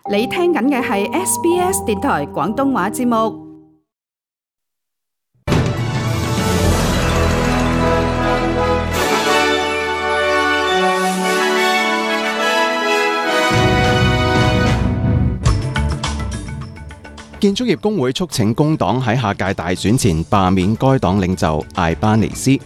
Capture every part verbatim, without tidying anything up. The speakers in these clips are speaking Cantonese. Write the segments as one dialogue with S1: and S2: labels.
S1: 你聽緊嘅係 S B S 電台廣東話節目。
S2: 建築業工會促請工黨喺下屆大選前罷免該黨領袖艾巴尼斯。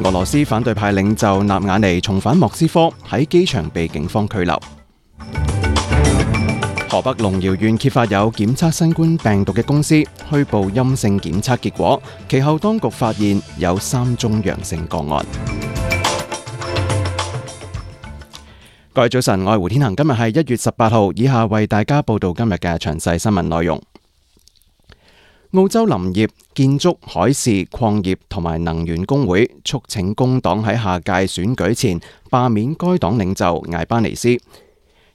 S2: 俄羅斯反對派領袖納瓦尼重返莫斯科，喺機場被警方拘留。河北龍窯縣揭發有檢測新冠病毒嘅公司虛報陰性檢測結果，其後當局發現有三宗陽性個案。各位早晨，我係胡天恒，今日係一月十八號，以下為大家報道今日嘅詳細新聞內容。澳洲林業、建築、海事、礦業同埋能源工會促請工黨喺下屆選舉前罷免該黨領袖艾巴尼斯。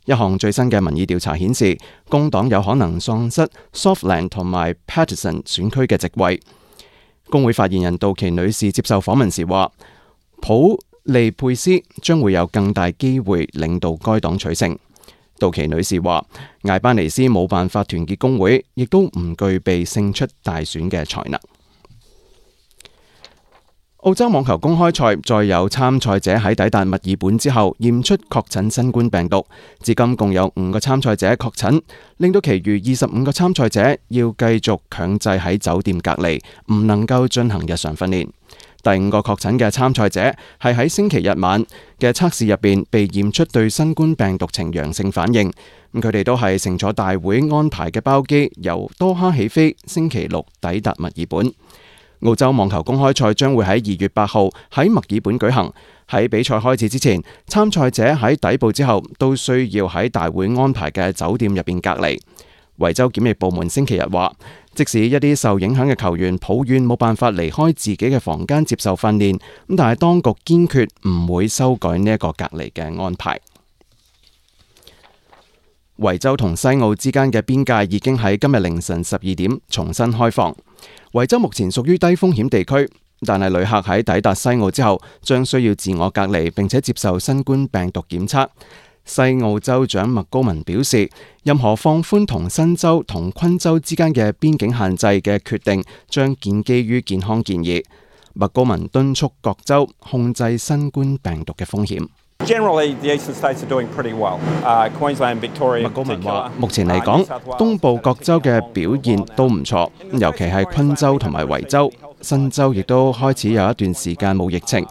S2: 一項最新嘅民意調查顯示，工黨有可能喪失 Southland 同埋 Paterson 選區嘅席位。工會發言人杜琪女士接受訪問時話，普利佩斯將會有更大機會領導該黨取勝。杜琪女士話，艾巴尼斯冇辦法團結工會，亦都唔具備勝出大選嘅才能。澳洲網球公開賽再有參賽者喺抵達墨爾本之後驗出確診新冠病毒，至今共有五個參賽者確診，令到其餘二十五個參賽者要繼續強制喺酒店隔離，唔能夠進行日常訓練。第五個確診嘅參賽者係喺星期日晚嘅測試入邊被驗出對新冠病毒呈陽性反應，咁佢哋都係乘坐大會安排嘅包機由多哈起飛，星期六抵達墨爾本。澳洲網球公開賽將會喺二月八號喺墨爾本舉行。喺比賽開始之前，參賽者喺抵埗之後都需要喺大會安排嘅酒店入邊隔離。維州檢疫部門星期日話，即使一啲受影響嘅球員抱怨冇辦法離開自己嘅房間接受訓練，咁但係當局堅決唔會修改呢一個隔離嘅安排。維州同西澳之間嘅邊界已經喺今日凌晨十二點重新開放。維州目前屬於低風險地區，但係旅客喺抵達西澳之後將需要自我隔離，並且接受新冠病毒檢測。西澳州長麥高文表示，任何放寬同新州同昆州之間嘅邊境限制嘅決定將建基於健康建議。麥高文敦促各州控制新冠病毒嘅風險。
S3: Generally, the eastern states are doing pretty well. Uh, Queensland, Victoria.
S2: 麥高文話：目前嚟講，東部各州嘅表現都唔錯，尤其係昆州同埋維州。新州亦都開始有一段時間冇疫情，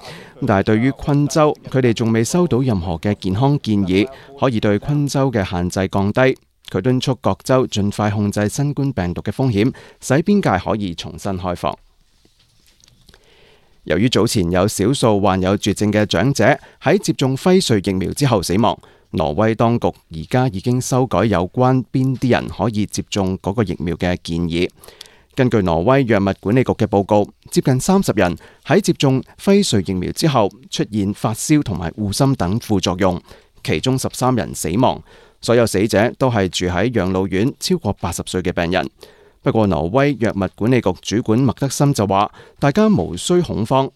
S2: 但係對於昆州，佢哋仲未收到任何嘅健康建議，可以對昆州嘅限制降低。佢敦促各州盡快控制新冠病毒嘅風險，使邊界可以重新開放。由於早前有少數患有絕症嘅長者喺接種輝瑞疫苗之後死亡，挪威當局而家已經修改有關邊啲人可以接種嗰個疫苗嘅建議。根據挪威藥物管理局嘅報告，接近三十人喺接種輝瑞疫苗之後出現發燒同埋護心等副作用，其中十三人死亡。所有死者都係住喺養老院超過八十歲嘅病人。不過，挪威藥物管理局主管麥德森就話：大家無需恐慌。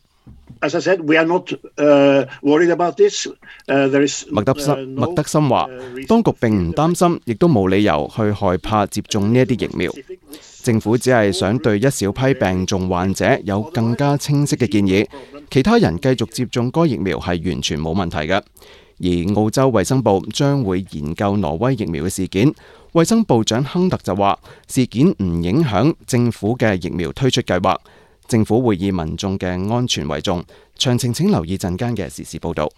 S4: As I said, we are not, uh, worried about this. Uh, there is, uh,
S2: 麥德森麥德森話：當局並唔擔心，亦都冇理由去害怕接種呢一啲疫苗。政府只係想對一小批病重患者有更加清晰嘅建議，其他人繼續接種該疫苗係完全冇問題嘅。而澳洲衛生部將會研究挪威疫苗嘅事件。衛生部長亨特就話，事件唔影響政府嘅疫苗推出計劃，政府會以民眾嘅安全為重。詳情請留意陣間嘅時事報導。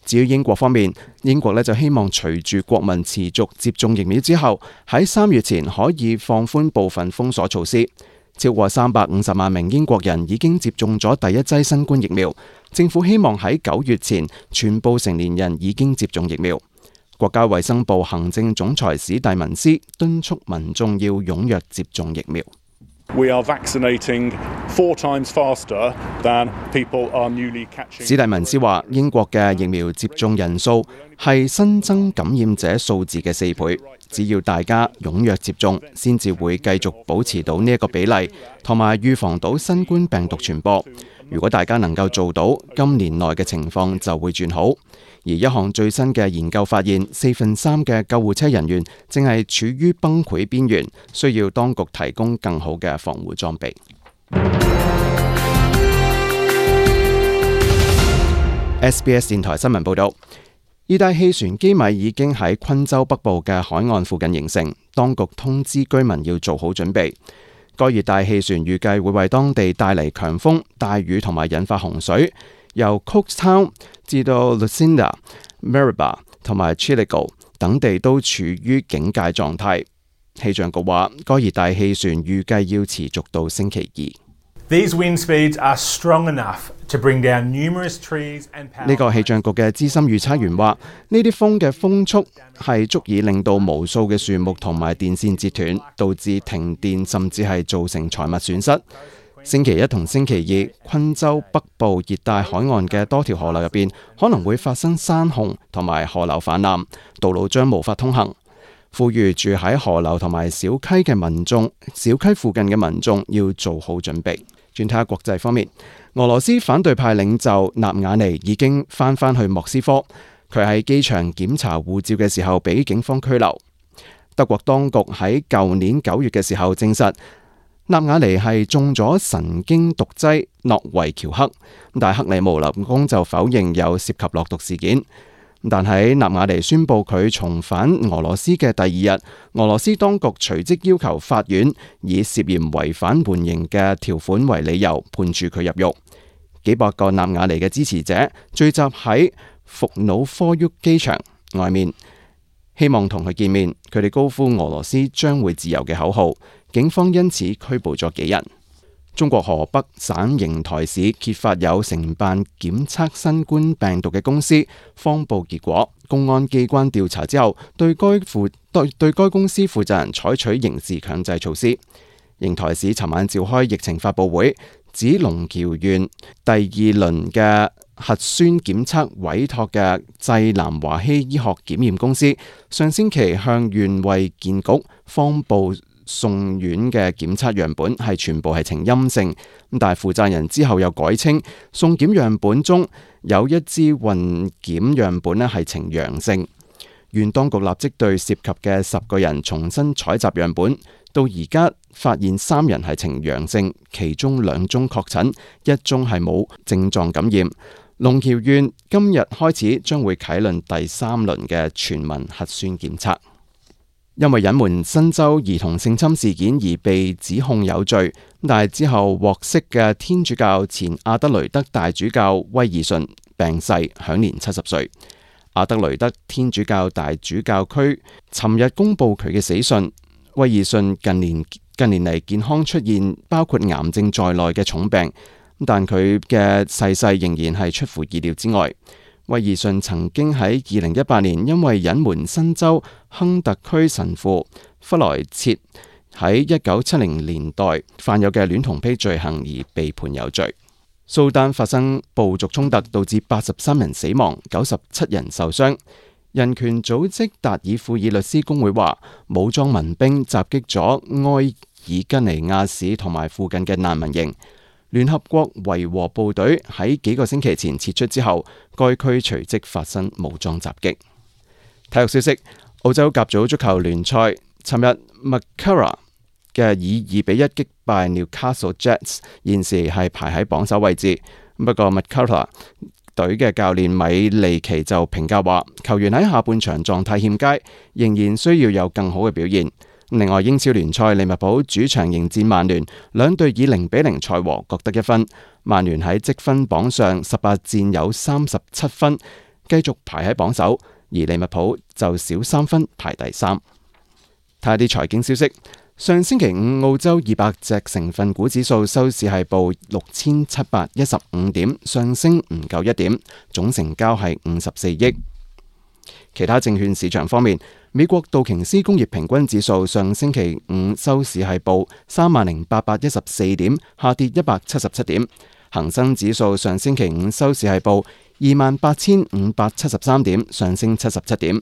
S2: 至於英國方面，英國呢就希望隨住國民持續接種疫苗之後，喺三月前可以放寬部分封鎖措施。超過三百五十萬名英國人已經接種咗第一劑新冠疫苗，政府希望喺九月前全部成年人已經接種疫苗。國家衛生部行政總裁史蒂文斯敦促民眾要踴躍接種疫苗。
S5: We are vaccinating four times faster than people are newly catching.
S2: 史蒂文斯話：英國嘅疫苗接種人數係新增感染者數字嘅四倍，只要大家踴躍接種，先至會繼續保持到呢一個比例，同埋預防到新冠病毒傳播。如果大家能夠做到，今年內嘅情況就會轉好。而一項最新嘅研究發現，四分三嘅救護車人員正係處於崩潰邊緣，需要當局提供更好嘅防護裝備。S B S 電台新聞報導，熱帶氣旋基米已經喺昆州北部嘅海岸附近形成，當局通知居民要做好準備。該熱帶氣旋預計會為當地帶嚟強風、大雨同埋引發洪水。由 Cookstown 至到 Lucinda、Maribor 同埋 Chillagoe 等地都處於警戒狀態。氣象局話，該熱帶氣旋預計要持續到星期二。
S6: These wind speeds are strong enough to bring down numerous trees and power.
S2: 呢個氣象局嘅資深預測員話，呢啲風嘅風速係足以令到無數嘅樹木同埋電線截斷，導致停電，甚至係造成財物損失。星期一同星期二，昆州北部熱帶海岸嘅多條河流入邊可能會發生山洪同埋河流泛濫，道路將無法通行。呼籲住喺河流同埋小溪嘅民眾、小溪附近嘅民眾要做好準備。轉睇下國際方面，俄羅斯反對派領袖納瓦尼已經翻返去莫斯科，佢喺機場檢查護照嘅時候被警方拘留。德國當局喺舊年九月嘅時候證實，納瓦尼係中咗神經毒劑諾維喬克，但係克里姆林宮就否認有涉及落毒事件。但喺納瓦尼宣布佢重返俄羅斯嘅第二日，俄羅斯當局隨即要求法院以涉嫌違反緩刑嘅條款為理由判處佢入獄。幾百個納瓦尼嘅支持者聚集喺伏努科沃機場外面，希望同佢見面。佢哋高呼俄羅斯將會自由嘅口號。警方因此拘捕咗幾人。中國河北省邢台市揭發有承辦檢測新冠病毒嘅公司謊報結果，公安機關調查之後，對該負對對該公司負責人採取刑事強制措施。邢台市尋晚召開疫情發佈會，指龍橋縣第二輪嘅核酸檢測委託嘅濟南華希醫學檢驗公司，上星期向縣衛健局謊報送院嘅檢測樣本係全部係呈陰性，但係負責人之後又改稱送檢樣本中有一支混檢樣本咧係呈陽性。縣當局立即對涉及嘅十個人重新採集樣本，到而家發現三人係呈陽性，其中兩宗確診，一宗係冇症狀感染。龍橋縣今日開始將會啟動第三輪嘅全民核酸檢測。因為隱瞞新州兒童性侵事件而被指控有罪，但係之後獲釋嘅天主教前阿德雷德大主教威爾遜病逝，享年七十歲。阿德雷德天主教大主教區尋日公布佢嘅死訊。威爾遜近年近年嚟健康出現包括癌症在內嘅重病，但佢嘅逝世仍然係出乎意料之外。威爾遜曾經喺二零一八年因為隱瞞新州亨特區神父弗萊切喺一九七零年代犯有嘅戀童癖罪行而被判有罪。蘇丹發生部族衝突，導致八十三人死亡，九十七人受傷。人權組織達爾富爾律師公會話，武裝民兵襲擊咗埃爾吉尼亞市同埋附近嘅難民營。聯合國維和部隊喺幾個星期前撤出之後，該區隨即發生武裝襲擊。體育消息：澳洲甲組足球聯賽，尋日 Macarthur 嘅以二比一擊敗 Newcastle Jets， 現時係排喺榜首位置。不過 Macarthur 隊嘅教練米利奇就評價話，球員喺下半場狀態欠佳，仍然需要有更好嘅表現。另外，英超聯賽利物浦主場迎戰曼聯，兩隊以零比零賽和，各得一分。曼聯喺積分榜上十八戰有三十七分，繼續排喺榜首，而利物浦就少三分排第三。睇下啲財經消息，上星期五澳洲二百隻成分股指數收市係報六千七百一十五點，上升唔夠一點，總成交係五十四億。其他證券市場方面，美國道瓊斯工業平均指數上星期五收市係報三萬零八百一十四點，下跌一百七十七點。恒生指數上星期五收市係報二萬八千五百七十三點，上升七十七點。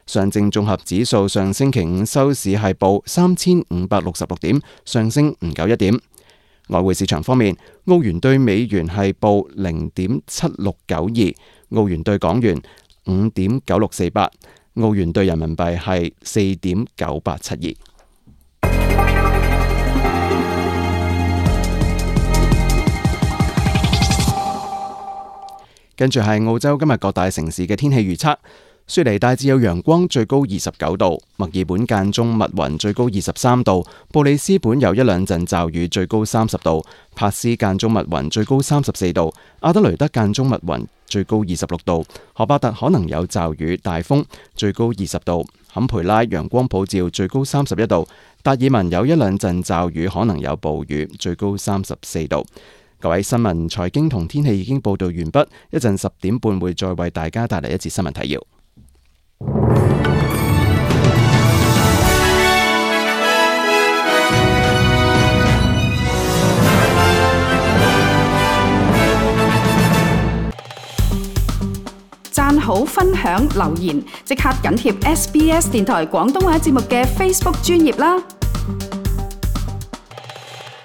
S2: 上證綜合指數上星期五收市係報三千五百六十六點，上升唔夠一點。外匯市場方面，澳元對美元係報零點七六九二，澳元對港元五點九六四八，澳元對人民幣係四點九八七二。跟住係澳洲今日各大城市嘅天氣預測。雪梨大致有陽光，最高二十九度；墨爾本間中密雲，最高二十三度；布里斯本有一兩陣驟雨，最高三十度；帕斯間中密雲，最高三十四度；阿德雷德間中密雲，最高二十六度；荷巴特可能有驟雨、大風，最高二十度；坎培拉陽光普照，最高三十一度；達爾文有一兩陣驟雨，可能有暴雨，最高三十四度。各位，新聞、財經同天氣已經報道完畢，一陣十點半會再為大家帶嚟一節新聞提要。
S1: 讚好、分享、留言，即刻緊貼 S B S 電台廣東話節目嘅 Facebook 專頁啦！